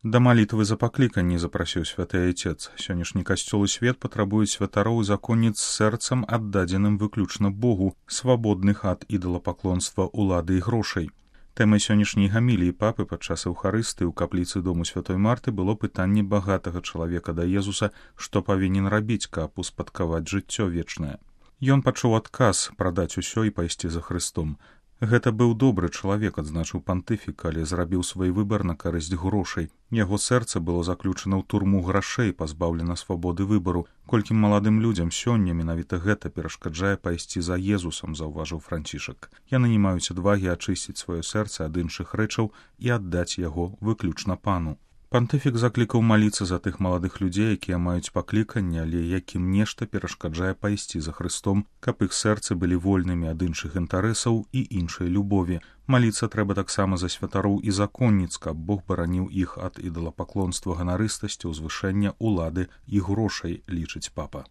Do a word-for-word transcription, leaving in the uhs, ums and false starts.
Да малітвы за пакліканні запрасіў святы айцец. Сённяшні касцёл і свет патрабуюць святароў і законніц з сэрцам аддадзеным выключна Богу, свабодных ад ідалапаклонства, улады і грошай. Тэмай сённяшняй гаміліі папы падчас эўхарыстыі ў капліцы дому святой Марты было пытанне багатага чалавека да Езуса, што павінен рабіць, каб успадкаваць жыццё вечнае. Ён пачуў адказ прадаць усё і пайсці за Хрыстом. Гэта быў добры чалавек, адзначыў пантыфік, але зрабіў свой выбар на карысць грошай. Яго сэрца было заключана ў турму грашэй, пазбаўлена свабоды выбару. Колькім маладым людзям сёння менавіта гэта перашкаджае пайсці за Езусам, заўважыў Францішак. Яны не маюць адвагі ачысціць сваё сэрца ад іншых рэчаў і аддаць яго выключна пану. Пантыфік заклікаў маліцца за тых маладых людзей, якія маюць пакліканне, але якім нешта перашкаджае пайсці за Хрыстом, каб іх сэрцы былі вольнымі ад іншых інтарэсаў і іншай любові. Маліцца трэба таксама за святароў і законніц, каб Бог бараніў іх ад ідалапаклонства, ганарыстасці, узвышэння, улады і грошай, лічыць папа.